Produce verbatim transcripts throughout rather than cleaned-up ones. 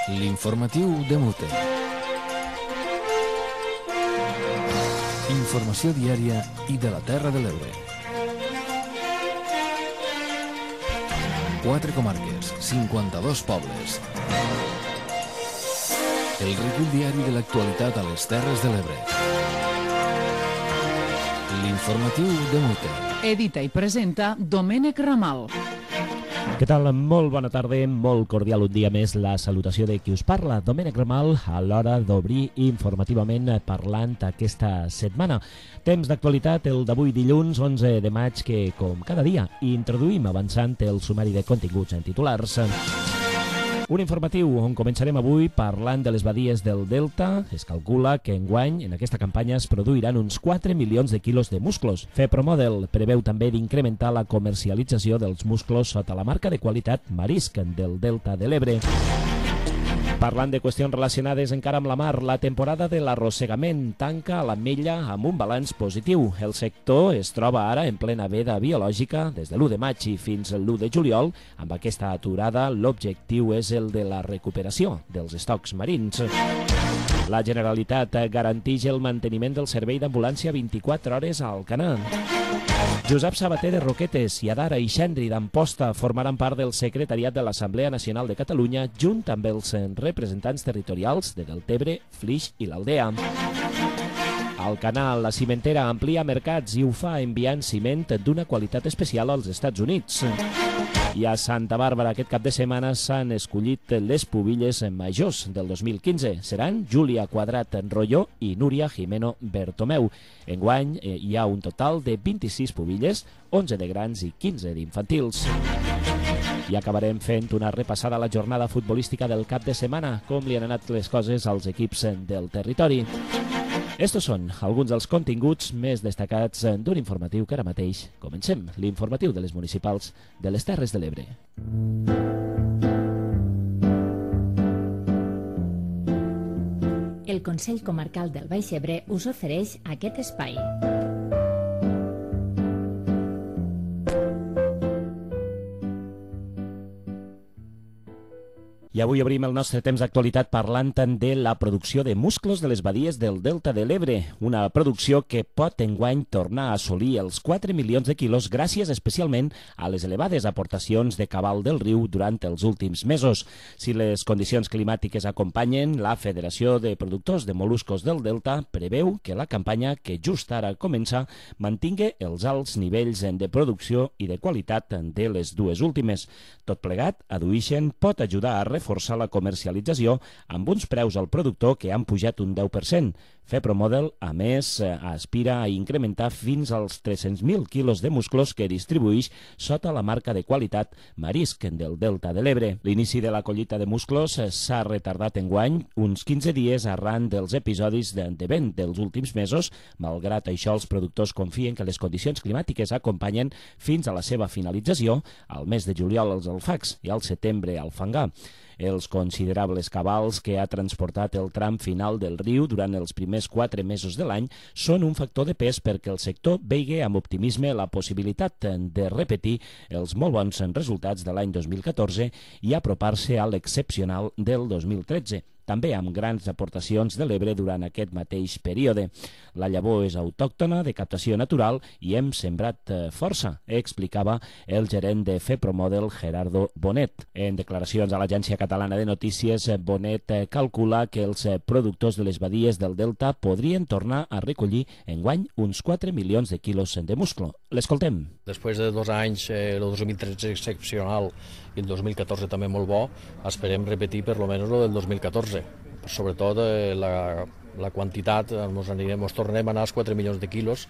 L'informatiu de Mute. Informació diària i de la Terra de l'Ebre. Quatre comarques, cinquanta-dos pobles. El recull diari de l'actualitat a les Terres de l'Ebre. L'informatiu de Mute. Edita i presenta Domènec Ramal. Què tal? Molt bona tarda, molt cordial un dia més la salutació de qui us parla, Domènec Ramal, a l'hora d'obrir informativament parlant aquesta setmana. Temps d'actualitat, el d'avui dilluns, onze de maig, que, com cada dia, introduïm avançant el sumari de continguts en titulars. Un informatiu on començarem avui parlant de les badies del Delta. Es calcula que enguany en aquesta campanya es produiran uns quatre milions de quilos de musclos. FEPROMODEL preveu també d'incrementar la comercialització dels musclos sota la marca de qualitat Marisc del Delta de l'Ebre. Parlant de qüestions relacionades encara amb la mar, la temporada de l'arrossegament tanca a l'Ametlla amb un balanç positiu. El sector es troba ara en plena veda biològica des de l'u de maig i fins l'u de juliol. Amb aquesta aturada, l'objectiu és el de la recuperació dels estocs marins. La Generalitat garanteix el manteniment del servei d'ambulància vint-i-quatre hores a Alcanar. Josep Sabater de Roquetes i Adara i Xendri d'Amposta formaran part del secretariat de l'Assemblea Nacional de Catalunya junt amb els representants territorials de Deltebre, Flix i l'Aldea. Alcanar, la cimentera, amplia mercats i ho fa enviant ciment d'una qualitat especial als Estats Units. I a Santa Bàrbara aquest cap de setmana s'han escollit les pubilles majors del dos mil quinze. Seran Júlia Quadrat Rolló i Núria Jimeno Bertomeu. Enguany eh, hi ha un total de vint-i-sis pubilles, onze de grans i quinze d'infantils. I acabarem fent una repassada a la jornada futbolística del cap de setmana, com li han anat les coses als equips del territori. Estos són alguns dels continguts més destacats d'un informatiu que ara mateix comencem, l'informatiu de les municipals de les Terres de l'Ebre. El Consell Comarcal del Baix Ebre us ofereix aquest espai. I avui obrim el nostre temps d'actualitat parlant de la producció de musclos de les badies del Delta de l'Ebre, una producció que pot enguany tornar a assolir els quatre milions de quilos gràcies especialment a les elevades aportacions de cabal del riu durant els últims mesos. Si les condicions climàtiques acompanyen, la Federació de Productors de Moluscos del Delta preveu que la campanya, que just ara comença, mantingui els alts nivells de producció i de qualitat de les dues últimes. Tot plegat, addueixen, pot ajudar a reforçar forçar la comercialització amb uns preus al productor que han pujat un deu per cent. FEPROMODEL, a més, aspira a incrementar fins als tres-cents mil quilos de musclos que distribueix sota la marca de qualitat Marisc del Delta de l'Ebre. L'inici de la collita de musclos s'ha retardat enguany uns quinze dies arran dels episodis de vent dels últims mesos. Malgrat això, els productors confien que les condicions climàtiques acompanyen fins a la seva finalització, al mes de juliol els alfacs i al setembre al fangar. Els considerables cabals que ha transportat el tram final del riu durant els primers quatre mesos de l'any són un factor de pes perquè el sector vegi amb optimisme la possibilitat de repetir els molt bons resultats de l'any dos mil catorze i apropar-se a l'excepcional del dos mil tretze. També amb grans aportacions de l'Ebre durant aquest mateix període. La llavor és autòctona, de captació natural, i hem sembrat força, explicava el gerent de FEPROMODEL, Gerardo Bonet. En declaracions a l'Agència Catalana de Notícies, Bonet calcula que els productors de les badies del Delta podrien tornar a recollir enguany uns quatre milions de quilos de musclo. L'escoltem. Després de dos anys, eh, el dos mil tretze excepcional i el dos mil catorze també molt bo, esperem repetir per lo menos el del dos mil catorze. Sobretot eh, la, la quantitat, ens anirem, ens tornarem a anar als quatre milions de quilos,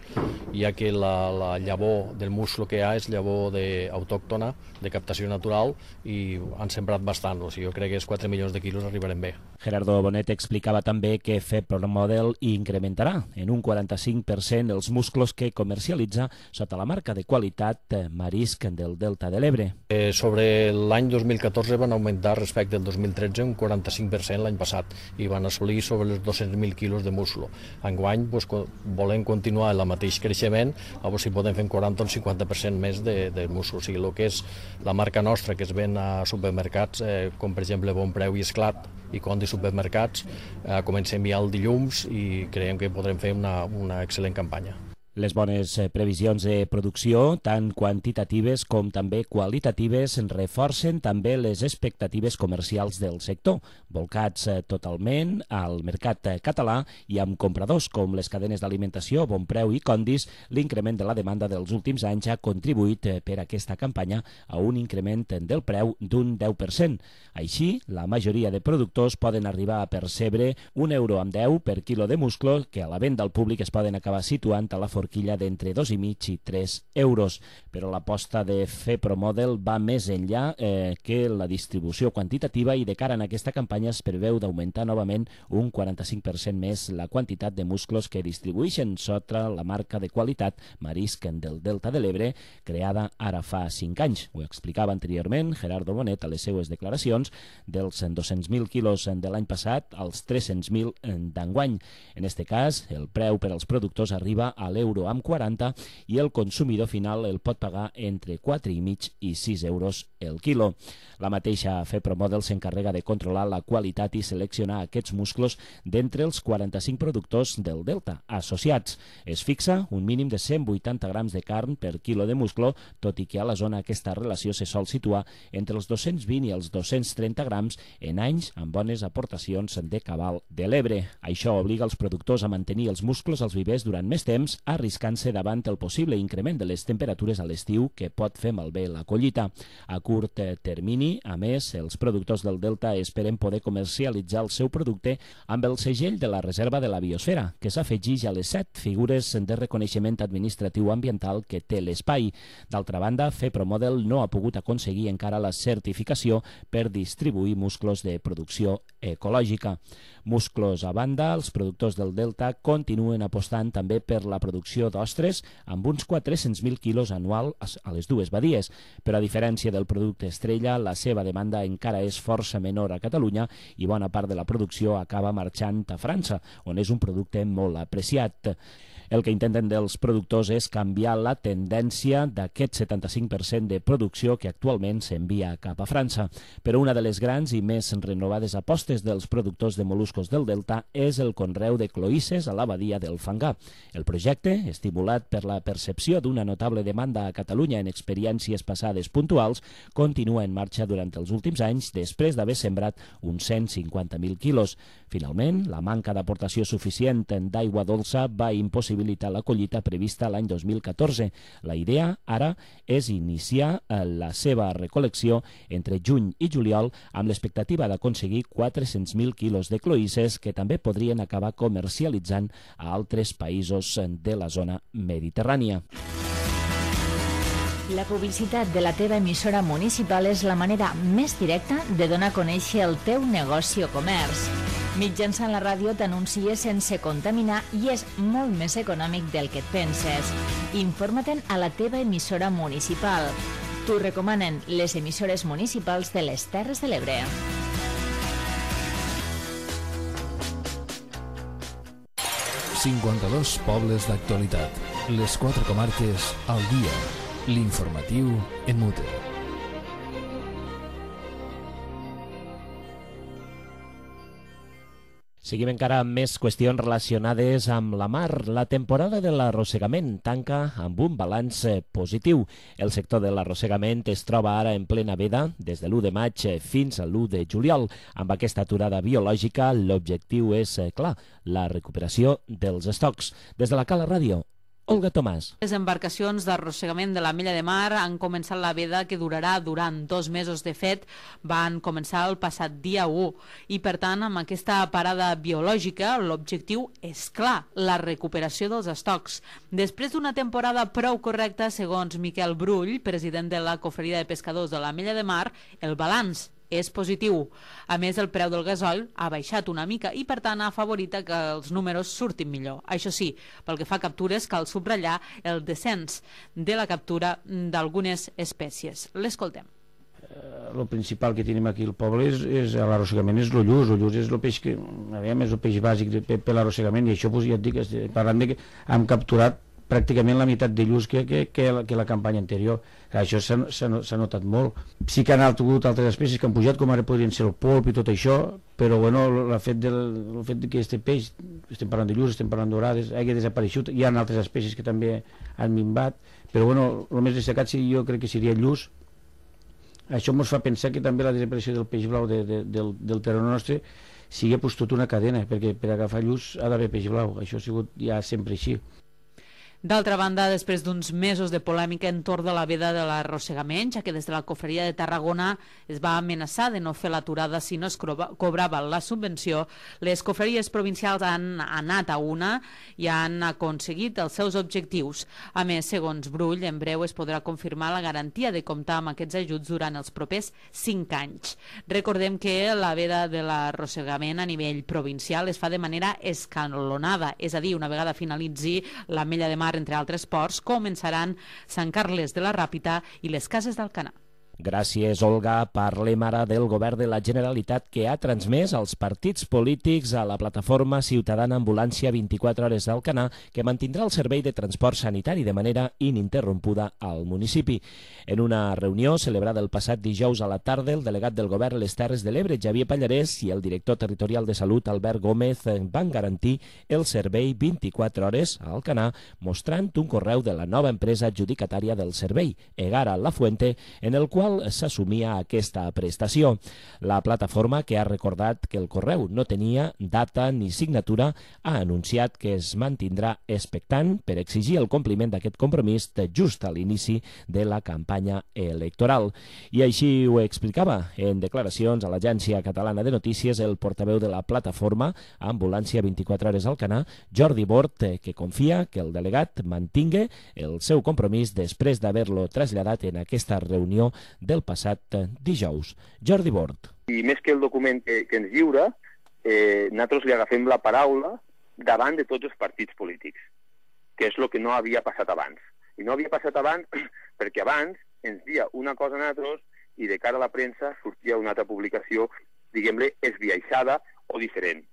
ja que la, la llavor del musclo que hi ha és llavor de, autòctona, de captació natural, i han sembrat bastant. O sigui, jo crec que els quatre milions de quilos arribarem bé. Gerardo Bonet explicava també que FEPROMODEL incrementarà en un quaranta-cinc per cent els musclos que comercialitza sota la marca de qualitat Marisc del Delta de l'Ebre. Eh, sobre l'any dos mil catorze van augmentar respecte al dos mil tretze un quaranta-cinc per cent l'any passat i van assolir sobre els dos-cents mil quilos de musclo. Enguany pues, volem continuar el mateix creixement, a veure si podem fer un quaranta o un cinquanta per cent més de, de musclo. O sigui, el que és la marca nostra que es ven a supermercats, eh, com per exemple Bon Preu i Esclat, i condis supermercats. Eh, comencem ja el dilluns i creiem que podrem fer una, una excel·lent campanya. Les bones previsions de producció, tant quantitatives com també qualitatives, reforcen també les expectatives comercials del sector, volcats totalment al mercat català i amb compradors com les cadenes d'alimentació, Bonpreu i Condis. L'increment de la demanda dels últims anys ha contribuït per aquesta campanya a un increment del preu d'un deu per cent. Així, la majoria de productors poden arribar a percebre un euro amb deu per quilo de musclo, que a la venda al públic es poden acabar situant a la forquilla d'entre dos i mig i tres euros. Però l'aposta de FEPROMODEL va més enllà eh, que la distribució quantitativa i de cara a aquesta campanya es preveu d'augmentar novament un quaranta-cinc per cent més la quantitat de musclos que distribueixen sota la marca de qualitat Marisc del Delta de l'Ebre, creada ara fa cinc anys. Ho explicava anteriorment Gerardo Bonet a les seues declaracions, dels dos-cents mil quilos de l'any passat als tres-cents mil d'enguany. En aquest cas, el preu per als productors arriba a l'euro amb quaranta i el consumidor final el pot pagar entre quatre i mig i sis euros el quilo. La mateixa FEPROMODEL s'encarrega de controlar la qualitat i seleccionar aquests musclos d'entre els quaranta-cinc productors del Delta associats. Es fixa un mínim de cent vuitanta grams de carn per quilo de musclo, tot i que a la zona aquesta relació se sol situar entre els dos-cents vint i els dos-cents trenta grams en anys amb bones aportacions de cabal de l'Ebre. Això obliga els productors a mantenir els musclos als vivers durant més temps, arriscant-se davant el possible increment de les temperatures a l'estiu que pot fer malbé la collita. A curt termini, a més, els productors del Delta esperen poder comercialitzar el seu producte amb el segell de la Reserva de la Biosfera, que s'afegeix a les set figures de reconeixement administratiu ambiental que té l'espai. D'altra banda, FEPROMODEL no ha pogut aconseguir encara la certificació per distribuir musclos de producció ecològica. Musclos a banda, els productors del Delta continuen apostant també per la producció d'ostres amb uns quatre-cents mil quilos anual a les dues badies, però a diferència del producte estrella, la seva demanda encara és força menor a Catalunya i bona part de la producció acaba marxant a França, on és un producte molt apreciat. El que intenten dels productors és canviar la tendència d'aquest setanta-cinc per cent de producció que actualment s'envia cap a França. Però una de les grans i més renovades apostes dels productors de moluscos del Delta és el conreu de cloïsses a la badia del Fangar. El projecte, estimulat per la percepció d'una notable demanda a Catalunya en experiències passades puntuals, continua en marxa durant els últims anys després d'haver sembrat uns cent cinquanta mil quilos. Finalment, la manca d'aportació suficient d'aigua dolça va impossibilitar la collita prevista l'any dos mil catorze. La idea ara és iniciar la seva recol·lecció entre juny i juliol amb l'expectativa d'aconseguir quatre-cents mil quilos de cloïsses que també podrien acabar comercialitzant a altres països de la zona mediterrània. La publicitat de la teva emissora municipal és la manera més directa de donar a conèixer el teu negoci o comerç. Mitjançant la ràdio t'anuncies sense contaminar i és molt més econòmic del que et penses. Informa-te'n a la teva emissora municipal. T'ho recomanen les emissores municipals de les Terres de l'Ebre. cinquanta-dos pobles d'actualitat. Les quatre comarques al dia. L'informatiu en mute. Seguim encara amb més qüestions relacionades amb la mar. La temporada de l'arrossegament tanca amb un balanç positiu. El sector de l'arrossegament es troba ara en plena veda des de l'u de maig fins a l'u de juliol. Amb aquesta aturada biològica, l'objectiu és clar, la recuperació dels estocs. Des de la Cala Ràdio, Olga Tomàs. Les embarcacions d'arrossegament de la Mella de Mar han començat la veda que durarà durant dos mesos. De fet, van començar el passat dia u i, per tant, amb aquesta parada biològica, l'objectiu és clar, la recuperació dels estocs. Després d'una temporada prou correcta, segons Miquel Brull, president de la Cofreria de Pescadors de la Mella de Mar, el balanç és positiu. A més, el preu del gasoil ha baixat una mica i, per tant, ha afavorit que els números surtin millor. Això sí, pel que fa a captures, cal subratllar el descens de la captura d'algunes espècies. L'escoltem. El principal que tenim aquí al poble és, és l'arrossegament, és l'ullús. L'ullús és el peix que, a veure, és el peix bàsic de, per l'arrossegament, i això, doncs, ja et dic, parlant de que hem capturat pràcticament la meitat de llums que, que, que, la, que la campanya anterior. Això s'ha notat molt. Sí que han hagut altres espècies que han pujat, com ara podrien ser el polp i tot això, però bueno, el fet, del, el fet de que este peix, estem parlant de llums, estem parlant d'orades, hagi desapareixut. Hi ha altres espècies que també han minvat, però bueno, el més destacat sí, jo crec que seria el lluç. Això ens fa pensar que també la desaparició del peix blau de, de, del, del terreny nostre sigui pues, tota una cadena, perquè per agafar lluç ha d'haver peix blau. Això ha sigut ja sempre així. D'altra banda, després d'uns mesos de polèmica entorn de la veda de l'arrossegament, ja que des de la Cofreria de Tarragona es va amenaçar de no fer l'aturada si no es cobrava la subvenció, les cofreries provincials han anat a una i han aconseguit els seus objectius. A més, segons Brull, en breu es podrà confirmar la garantia de comptar amb aquests ajuts durant els propers cinc anys. Recordem que la veda de l'arrossegament a nivell provincial es fa de manera escalonada, és a dir, una vegada finalitzi la Mella de Mar, entre altres ports, començaran Sant Carles de la Ràpita i les Cases d'Alcanar. Gràcies, Olga. Parlem ara del govern de la Generalitat, que ha transmès als partits polítics a la plataforma ciutadana Ambulància vint-i-quatre hores d'Alcanar, que mantindrà el servei de transport sanitari de manera ininterrompuda al municipi. En una reunió celebrada el passat dijous a la tarda, el delegat del govern a les Terres de l'Ebre, Xavier Pallarès, i el director territorial de Salut, Albert Gómez, van garantir el servei vint-i-quatre hores a Alcanar, mostrant un correu de la nova empresa adjudicatària del servei, Egara La Fuente, en el qual s'assumia aquesta prestació. La plataforma, que ha recordat que el correu no tenia data ni signatura, ha anunciat que es mantindrà expectant per exigir el compliment d'aquest compromís just a l'inici de la campanya electoral. I així ho explicava en declaracions a l'Agència Catalana de Notícies el portaveu de la plataforma Ambulància vint-i-quatre hores Alcanar, Jordi Bort, que confia que el delegat mantingui el seu compromís després d'haver-lo traslladat en aquesta reunió del passat dijous. Jordi Bort. I més que el document que, que ens lliura, eh, nosaltres li agafem la paraula davant de tots els partits polítics, que és el que no havia passat abans. I no havia passat abans perquè abans ens dia una cosa a nosaltres i de cara a la premsa sortia una altra publicació, diguem-ne, esbiaixada o diferent.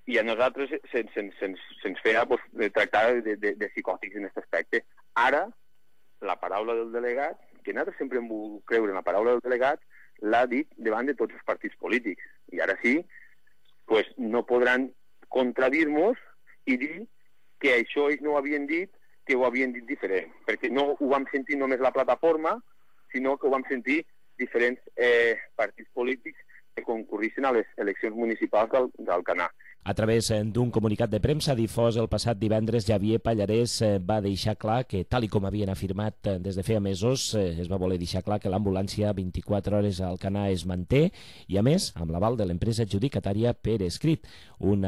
I a nosaltres se'ns se, se, se, se feia pues, tractar de, de, de psicòtics en aquest aspecte. Ara, la paraula del delegat, que nosaltres sempre hem volgut creure en la paraula del delegat, l'ha dit davant de tots els partits polítics. I ara sí, pues, no podran contradir-nos i dir que això ells no ho havien dit, que ho havien dit diferent. Perquè no ho vam sentir només la plataforma, sinó que ho vam sentir diferents eh, partits polítics que concurrissin a les eleccions municipals d'Alcanar. A través d'un comunicat de premsa difós el passat divendres, Xavier Pallarès va deixar clar que, tal i com havien afirmat des de feia mesos, es va voler deixar clar que l'ambulància vint-i-quatre hores a Alcanar es manté i, a més, amb l'aval de l'empresa adjudicatària per escrit. Un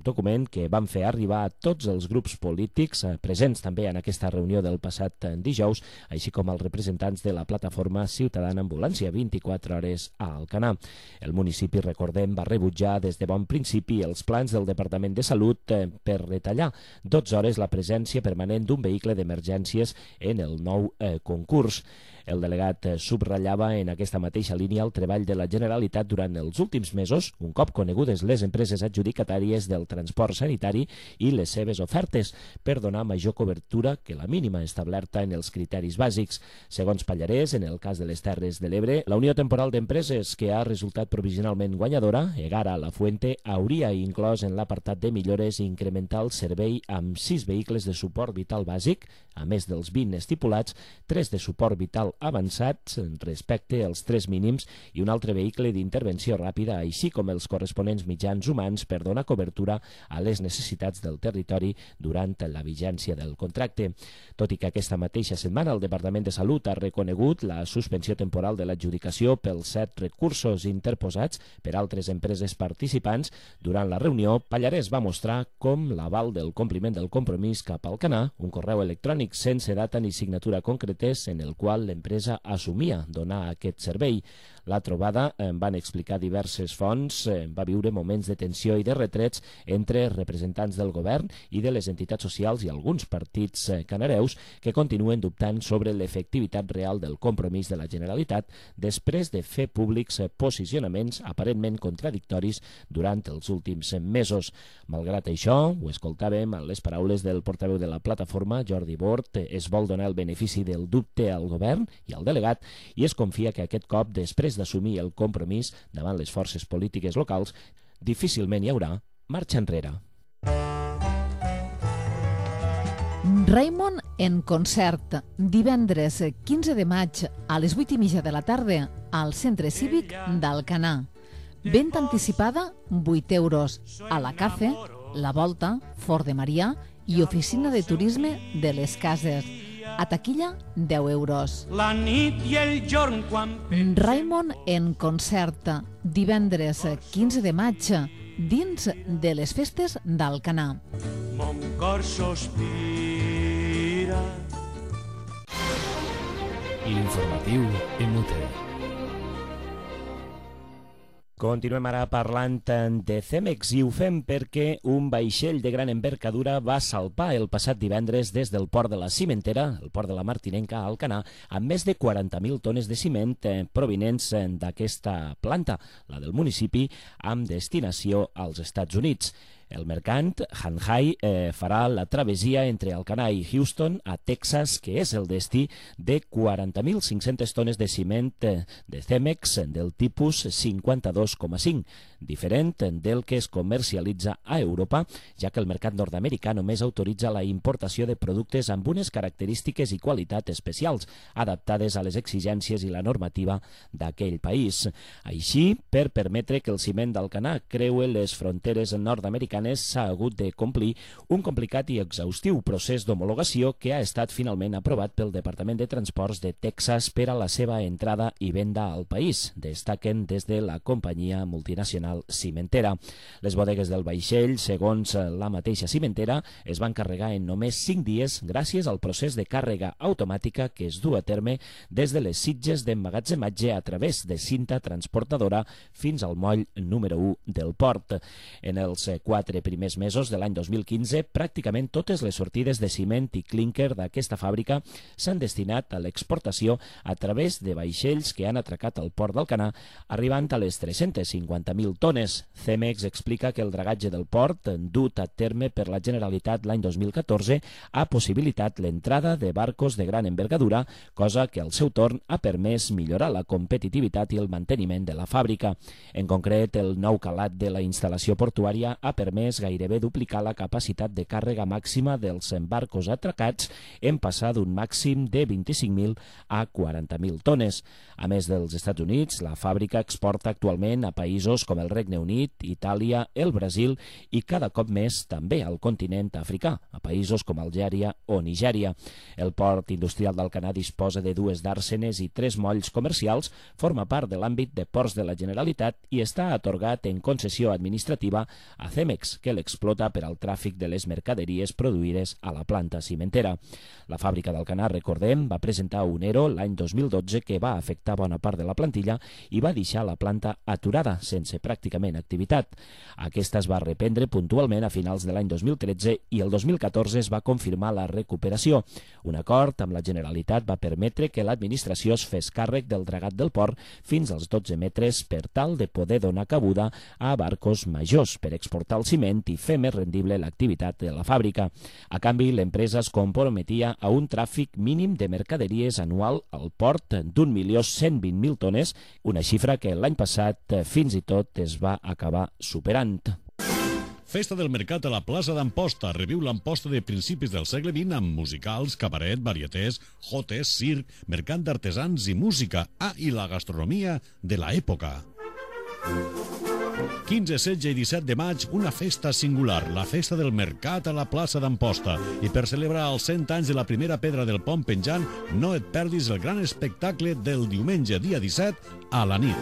document que van fer arribar a tots els grups polítics presents també en aquesta reunió del passat dijous, així com als representants de la plataforma ciutadana Ambulància vint-i-quatre hores a Alcanar. El municipi, recordem, va rebutjar des de bon principi els plans del Departament de Salut per retallar dotze hores la presència permanent d'un vehicle d'emergències en el nou eh, concurs. El delegat subratllava en aquesta mateixa línia el treball de la Generalitat durant els últims mesos, un cop conegudes les empreses adjudicatàries del transport sanitari i les seves ofertes, per donar major cobertura que la mínima establerta en els criteris bàsics. Segons Pallarès, en el cas de les Terres de l'Ebre, la Unió Temporal d'Empreses, que ha resultat provisionalment guanyadora, Egara La Fuente, hauria inclòs en l'apartat de millores incrementar el servei amb sis vehicles de suport vital bàsic, a més dels vint estipulats, tres de suport vital avançats respecte als tres mínims i un altre vehicle d'intervenció ràpida, així com els corresponents mitjans humans per donar cobertura a les necessitats del territori durant la vigència del contracte. Tot i que aquesta mateixa setmana el Departament de Salut ha reconegut la suspensió temporal de l'adjudicació pels set recursos interposats per altres empreses participants, durant la reunió Pallarès va mostrar com l'aval del compliment del compromís cap al Alcanar, un correu electrònic sense data ni signatura concretes en el qual l'empresa assumia donar aquest servei. La trobada, van explicar diverses fonts, va viure moments de tensió i de retrets entre representants del govern i de les entitats socials i alguns partits canareus que continuen dubtant sobre l'efectivitat real del compromís de la Generalitat després de fer públics posicionaments aparentment contradictoris durant els últims mesos. Malgrat això, ho escoltàvem en les paraules del portaveu de la plataforma, Jordi Bort, es vol donar el benefici del dubte al govern i al delegat i es confia que aquest cop, després d'assumir el compromís davant les forces polítiques locals, difícilment hi haurà marxa enrere. Raimon en concert, divendres quinze de maig a les vuit i mitja de la tarda al Centre Cívic d'Alcanar. Venda anticipada, vuit euros. A la Cafe, La Volta, Fort de Marià i Oficina de Turisme de les Cases. A taquilla, deu euros. La nit i el jorn quan... Raimon en concert, divendres quinze de maig, dins de les festes d'Alcanar. Mon cor sospira. L'informatiu M U T. Continuem ara parlant de Cemex i ho fem perquè un vaixell de gran envergadura va salpar el passat divendres des del port de la Cimentera, el port de la Martinenca, a Alcanar, amb més de quaranta mil tones de ciment provinents d'aquesta planta, la del municipi, amb destinació als Estats Units. El mercant, Hanhai, eh, farà la travessia entre Alcanar i Houston, a Texas, que és el destí de quaranta mil cinc-centes tones de ciment de Cemex del tipus cinquanta-dos coma cinc, diferent del que es comercialitza a Europa, ja que el mercat nord-americà només autoritza la importació de productes amb unes característiques i qualitat especials, adaptades a les exigències i la normativa d'aquell país. Així, per permetre que el ciment d'Alcanar creue les fronteres nord-americanes, s'ha hagut de complir un complicat i exhaustiu procés d'homologació que ha estat finalment aprovat pel Departament de Transports de Texas per a la seva entrada i venda al país, destaquen des de la companyia multinacional cimentera. Les bodegues del vaixell, segons la mateixa cimentera, es van carregar en només cinc dies gràcies al procés de càrrega automàtica que es du a terme des de les sitges d'emmagatzematge a través de cinta transportadora fins al moll número u del port. En els quatre primers mesos de l'any dos mil quinze, pràcticament totes les sortides de ciment i clínquer d'aquesta fàbrica s'han destinat a l'exportació a través de vaixells que han atracat al port d'Alcanar, arribant a les tres-centes cinquanta mil tones. Cemex explica que el dragatge del port, dut a terme per la Generalitat l'any dos mil catorze, ha possibilitat l'entrada de barcos de gran envergadura, cosa que al seu torn ha permès millorar la competitivitat i el manteniment de la fàbrica. En concret, el nou calat de la instal·lació portuària ha permès gairebé duplicar la capacitat de càrrega màxima dels barcos atracats en passar d'un màxim de vint-i-cinc mil a quaranta mil tones. A més dels Estats Units, la fàbrica exporta actualment a països com el Regne Unit, Itàlia, el Brasil i cada cop més també al continent africà, a països com Algèria o Nigèria. El port industrial d'Alcanar disposa de dues dàrsenes i tres molls comercials, forma part de l'àmbit de ports de la Generalitat i està atorgat en concessió administrativa a Cemex, que l'explota per al tràfic de les mercaderies produïdes a la planta cimentera. La fàbrica d'Alcanar, recordem, va presentar un ERO l'any dos mil dotze que va afectar bona part de la plantilla i va deixar la planta aturada, sense pràcticament activitat. Aquesta es va reprendre puntualment a finals de l'any dos mil tretze i el dos mil catorze es va confirmar la recuperació. Un acord amb la Generalitat va permetre que l'administració es fes càrrec del dragat del port fins als dotze metres per tal de poder donar cabuda a barcos majors per exportar el ciment i fer més rendible l'activitat de la fàbrica. A canvi, l'empresa es comprometia a un tràfic mínim de mercaderies anual al port d'un milió cent vint mil tones, una xifra que l'any passat fins i tot es va acabar superant. Festa del Mercat a la plaça d'Amposta. Reviu l'Amposta de principis del segle vint amb musicals, cabaret, varietés, jotes, circ, mercat d'artesans i música. Ah, i la gastronomia de l'època. quinze, setze i disset de maig, una festa singular, la Festa del Mercat a la plaça d'Amposta. I per celebrar els cent anys de la primera pedra del pont penjant, no et perdis el gran espectacle del diumenge, dia disset, a la nit.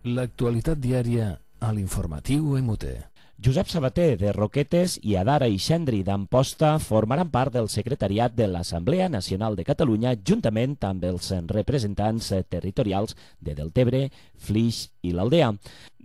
L'actualitat diària a l'informatiu M U T. Josep Sabater, de Roquetes, i Adara Ixendri, d'Amposta, formaran part del secretariat de l'Assemblea Nacional de Catalunya, juntament amb els representants territorials de Deltebre, Flix i l'Aldea.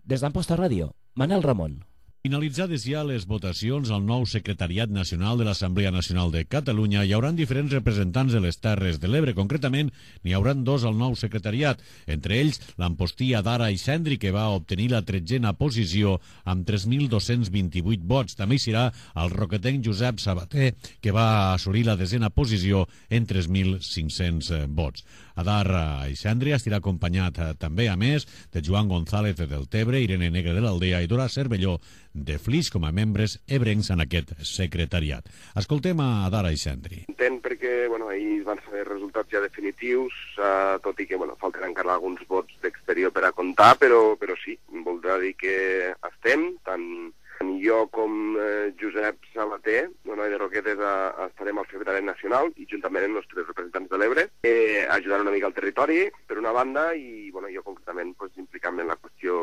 Des d'Amposta Ràdio, Manel Ramon. Finalitzades ja les votacions al nou Secretariat Nacional de l'Assemblea Nacional de Catalunya, hi haurà diferents representants de les Terres de l'Ebre. Concretament, n'hi haurà dos al nou secretariat, entre ells l'ampostí Adara Ixendri, que va obtenir la tretzena posició amb tres mil dos-cents vint-i-vuit vots. També hi serà el roquetenc Josep Sabater, que va assolir la desena posició en tres mil cinc-cents vots. Adara Ixendri estarà acompanyat eh, també, a més, de Joan González de Deltebre, Irene Negre de l'Aldea i Dora Cervelló de Flix com a membres ebrencs en aquest secretariat. Escoltem a Adara Ixendri. Entenc perquè bueno, ahir van ser resultats ja definitius, eh, tot i que bueno, falten encara alguns vots d'exterior per a comptar, però, però sí, voldrà dir que estem, tant jo com eh, Josep Sabater, bueno, de Roquetes, a, estarem al secretariat nacional i juntament amb els tres representants de l'Ebre, eh, ajudant una mica al territori, per una banda, i bueno, jo concretament pues, implicant-me en la qüestió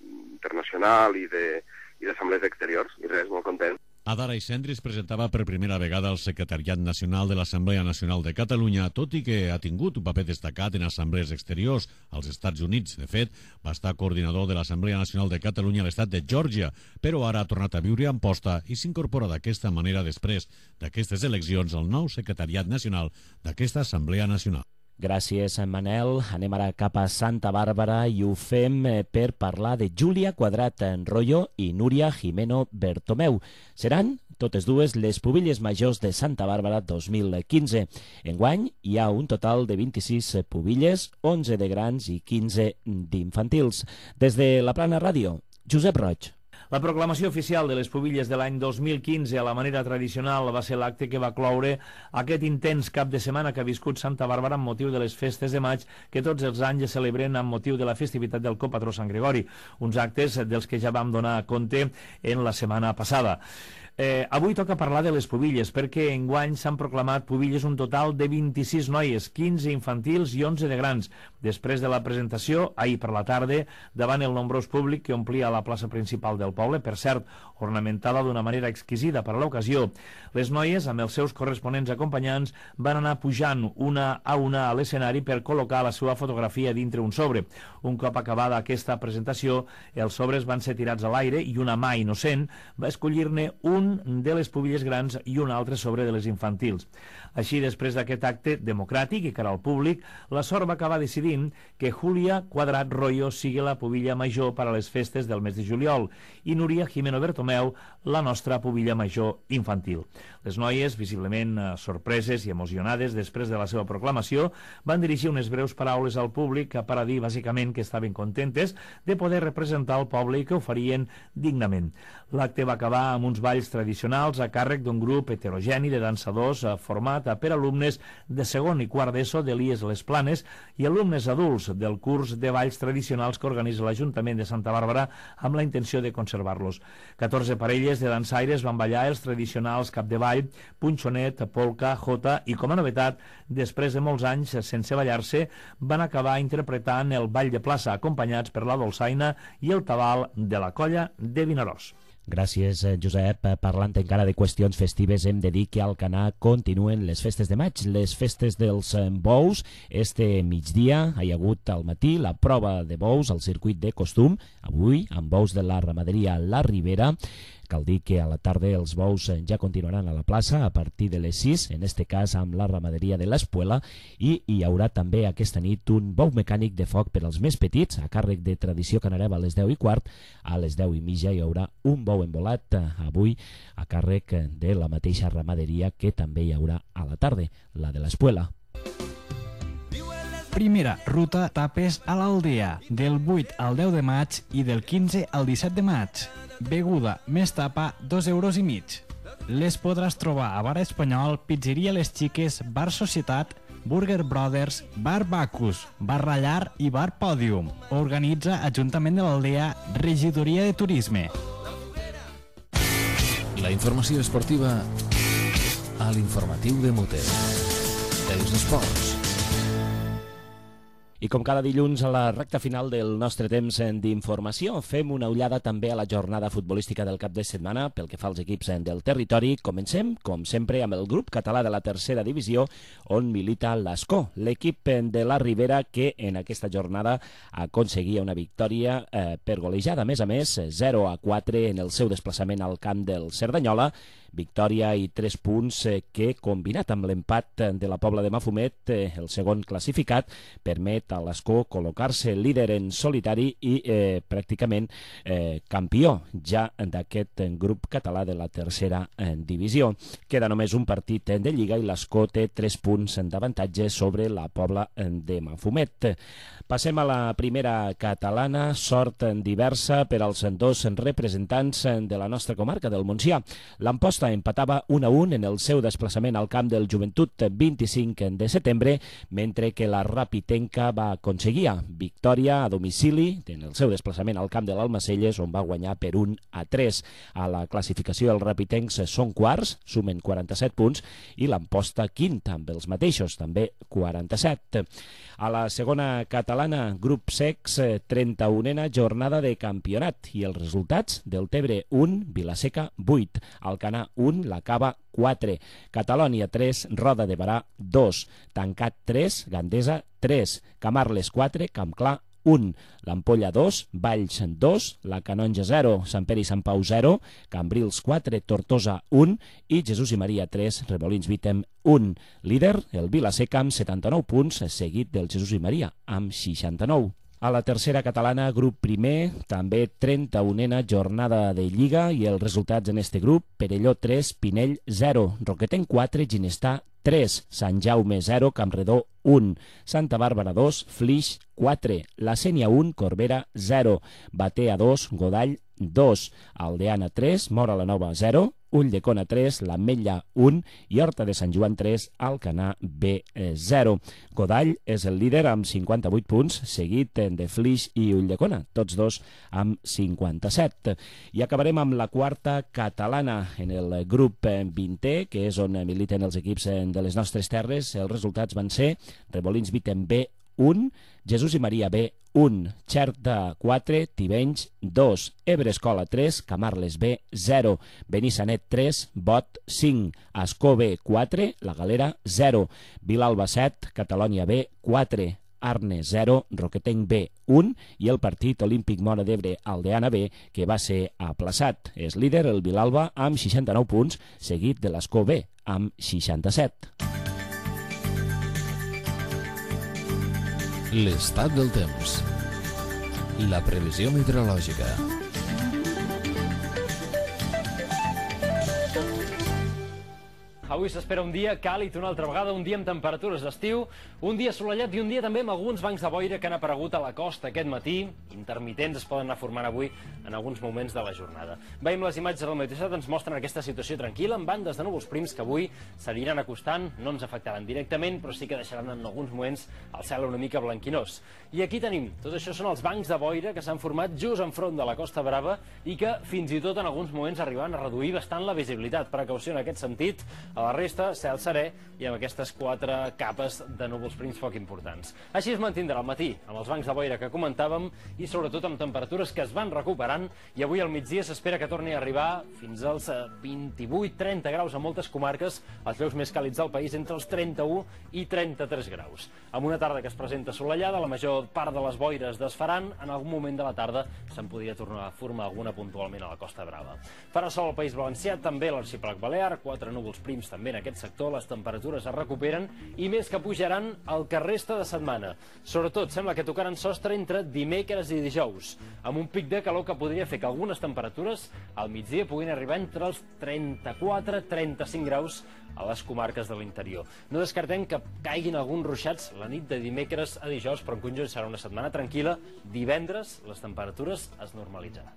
internacional i de i d'assemblees exteriors, i res, molt content. Adara Ixendri es presentava per primera vegada al Secretariat Nacional de l'Assemblea Nacional de Catalunya, tot i que ha tingut un paper destacat en assemblees exteriors als Estats Units. De fet, va estar coordinador de l'Assemblea Nacional de Catalunya a l'estat de Geòrgia, però ara ha tornat a viure a Amposta i s'incorpora d'aquesta manera després d'aquestes eleccions al nou Secretariat Nacional d'aquesta Assemblea Nacional. Gràcies, Manel. Anem ara cap a Santa Bàrbara i ho fem per parlar de Júlia Quadrat Enroyo i Núria Jimeno Bertomeu. Seran totes dues les pubilles majors de Santa Bàrbara dos mil quinze. Enguany hi ha un total de vint-i-sis pubilles, onze de grans i quinze d'infantils. Des de la Plana Ràdio, Josep Roig. La proclamació oficial de les pubilles de l'any dos mil quinze a la manera tradicional va ser l'acte que va cloure aquest intens cap de setmana que ha viscut Santa Bàrbara amb motiu de les festes de maig que tots els anys es celebren amb motiu de la festivitat del copatró Sant Gregori, uns actes dels que ja vam donar compte en la setmana passada. Eh, avui toca parlar de les pubilles, perquè enguany s'han proclamat pubilles un total de vint-i-sis noies, quinze infantils i onze de grans. Després de la presentació, ahir per la tarda, davant el nombrós públic que omplia la plaça principal del poble, per cert, ornamentada d'una manera exquisida per a l'ocasió, les noies, amb els seus corresponents acompanyants, van anar pujant una a una a l'escenari per col·locar la seva fotografia dintre un sobre. Un cop acabada aquesta presentació, els sobres van ser tirats a l'aire i una mà innocent va escollir-ne un de les pubilles grans i un altre sobre de les infantils. Així, després d'aquest acte democràtic i cara al públic, la sort va acabar decidint que Júlia Quadrat Royo sigui la pubilla major per a les festes del mes de juliol i Núria Jimeno Bertomeu la nostra pubilla major infantil. Les noies, visiblement sorpreses i emocionades després de la seva proclamació, van dirigir unes breus paraules al públic per a dir bàsicament que estaven contentes de poder representar el poble i que ho farien dignament. L'acte va acabar amb uns balls tradicionals a càrrec d'un grup heterogeni de dansadors format per alumnes de segon i quart d'ESO de l'I E S Les Planes i alumnes adults del curs de balls tradicionals que organitza l'Ajuntament de Santa Bàrbara amb la intenció de conservar-los. catorze parelles de dansaires van ballar els tradicionals capdavall, punxonet, polca, jota i, com a novetat, després de molts anys sense ballar-se, van acabar interpretant el ball de plaça acompanyats per la dolçaina i el tabal de la colla de Vinaròs. Gràcies, Josep. Parlant encara de qüestions festives, hem de dir que al Canà continuen les festes de maig, les festes dels bous. Este migdia hi ha hagut al matí la prova de bous al circuit de costum, avui amb bous de la ramaderia La Ribera. Cal dir que a la tarda els bous ja continuaran a la plaça a partir de les sis, en este cas amb la ramaderia de l'Espuela, i hi haurà també aquesta nit un bou mecànic de foc per als més petits, a càrrec de Tradició Canareva a les deu i quart. A les deu i mitja hi haurà un bou embolat, avui a càrrec de la mateixa ramaderia que també hi haurà a la tarda, la de l'Espuela. Primera ruta tapes a l'Aldea, del vuit al deu de maig i del quinze al disset de maig. Beguda més tapa, dos euros i mig. Les podràs trobar a Bar Espanyol, Pizzeria Les Xiques, Bar Societat, Burger Brothers, Bar Bacus, Bar Rallar i Bar Pòdium. Organitza Ajuntament de l'Aldea, Regidoria de Turisme. La informació esportiva a l'informatiu de Mote. Els esports. I com cada dilluns a la recta final del nostre temps d'informació, fem una ullada també a la jornada futbolística del cap de setmana pel que fa als equips del territori. Comencem, com sempre, amb el grup català de la tercera divisió, on milita l'Escó, l'equip de la Ribera que en aquesta jornada aconseguia una victòria eh, per golejada. A més a més, zero a quatre en el seu desplaçament al camp del Cerdanyola, victòria i tres punts eh, que, combinat amb l'empat de la Pobla de Mafumet, eh, el segon classificat, permet a l'Escó col·locar-se líder en solitari i eh, pràcticament eh, campió ja d'aquest grup català de la tercera eh, divisió. Queda només un partit de Lliga i l'Escó té tres punts d'avantatge sobre la Pobla de Mafumet. Passem a la primera catalana, sort diversa per als dos representants de la nostra comarca del Montsià. L'Amposta empatava un a un en el seu desplaçament al camp del Joventut vint-i-cinc de setembre, mentre que la Rapitenca va aconseguir victòria a domicili en el seu desplaçament al camp de l'Almacelles, on va guanyar per un a tres. A la classificació els rapitencs són quarts, sumen quaranta-set punts, i l'Amposta quinta amb els mateixos, també quaranta-set. A la segona catalana, grup secs, trenta-unena jornada de campionat i els resultats: del Tebre un, Vilaseca vuit, Alcanar un, la Cava quatre, Catalònia tres, Roda de Barà dos, Tancat tres, Gandesa tres, Camarles quatre, Campclar un, l'Ampolla dos, Valls dos, la Canonja zero, Sant Pere i Sant Pau zero, Cambrils quatre, Tortosa un i Jesús i Maria tres, Remolins Vítem un. Líder, el Vilaseca amb setanta-nou punts, seguit del Jesús i Maria amb seixanta-nou. A la tercera catalana, grup primer, també trenta-unena jornada de Lliga i els resultats en este grup: Perelló tres, Pinell zero, Roquetenc quatre, Ginestà tres, Sant Jaume zero, Campredó un, Santa Bàrbara dos, Flix quatre, La Sénia un, Corbera zero, Batea dos, Godall dos, Aldeana tres, Mora la Nova zero, Ulldecona tres, l'Ametlla un i Horta de Sant Joan tres, Alcanar B zero. Godall és el líder amb cinquanta-vuit punts, seguit de Flix i Ulldecona, tots dos amb cinquanta-set. I acabarem amb la quarta catalana en el grup vintè, que és on militen els equips de les nostres terres. Els resultats van ser Remolins Vítem B un, Jesús i Maria B un, Xerta quatre, Tivenys dos, Ebre Escola tres, Camarles B zero, Benissanet tres, Bot cinc, Escó B quatre, La Galera zero, Vilalba set, Catalònia B quatre, Arne zero, Roquetenc B un i el partit olímpic Móra d'Ebre Aldeana B, que va ser aplaçat. És líder el Vilalba amb seixanta-nou punts, seguit de l'Escó B amb seixanta-set. L'estat del temps. La previsió meteorològica. Avui s'espera un dia càlid una altra vegada, un dia amb temperatures d'estiu, un dia assolellat i un dia també amb alguns bancs de boira que han aparegut a la costa aquest matí. Intermitents es poden anar formant avui en alguns moments de la jornada. Veiem les imatges del Meteosat, ens mostren aquesta situació tranquil·la amb bandes de núvols prims que avui s'aniran acostant, no ens afectaran directament, però sí que deixaran en alguns moments el cel una mica blanquinós. I aquí tenim, tot això són els bancs de boira que s'han format just enfront de la Costa Brava i que fins i tot en alguns moments arribaven a reduir bastant la visibilitat. Precaució en aquest sentit. A la resta, cel serè i amb aquestes quatre capes de núvols prims poc importants. Així es mantindrà al matí, amb els bancs de boira que comentàvem i sobretot amb temperatures que es van recuperant, i avui al migdia s'espera que torni a arribar fins als vint-i-vuit trenta graus a moltes comarques, els llocs més càlids del país entre els trenta-u i trenta-tres graus. Amb una tarda que es presenta assolellada, la major part de les boires desfaran, en algun moment de la tarda se'n podria tornar a formar alguna puntualment a la Costa Brava. Farà sol al País Valencià, també a l'Arxipèlag Balear, quatre núvols prims també en aquest sector, les temperatures es recuperen i més que pujaran el que resta de setmana. Sobretot sembla que tocaran sostre entre dimecres i dijous, amb un pic de calor que podria fer que algunes temperatures al migdia puguin arribar entre els trenta-quatre a trenta-cinc graus a les comarques de l'interior. No descartem que caiguin alguns ruixats la nit de dimecres a dijous, però en conjunt serà una setmana tranquil·la. Divendres les temperatures es normalitzaran.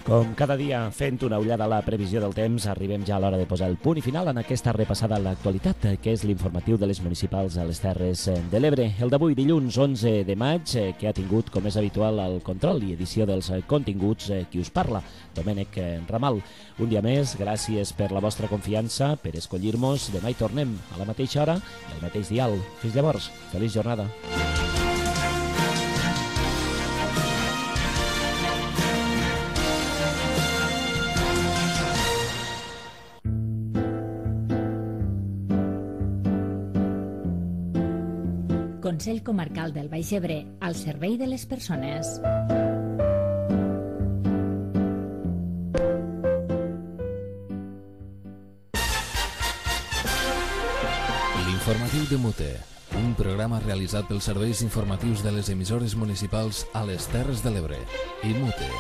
Com cada dia, fent una ullada a la previsió del temps, arribem ja a l'hora de posar el punt i final en aquesta repassada a l'actualitat, que és l'informatiu de les municipals a les Terres de l'Ebre. El d'avui, dilluns onze de maig, que ha tingut, com és habitual, el control i edició dels continguts, qui us parla, Domènec Ramal. Un dia més, gràcies per la vostra confiança, per escollir-nos. Demà hi tornem a la mateixa hora i al mateix dial. Fins llavors, feliç jornada. Consell Comarcal del Baix Ebre, al servei de les persones. L'informatiu de Mute, un programa realitzat pels serveis informatius de les emissores municipals a les Terres de l'Ebre i Mute.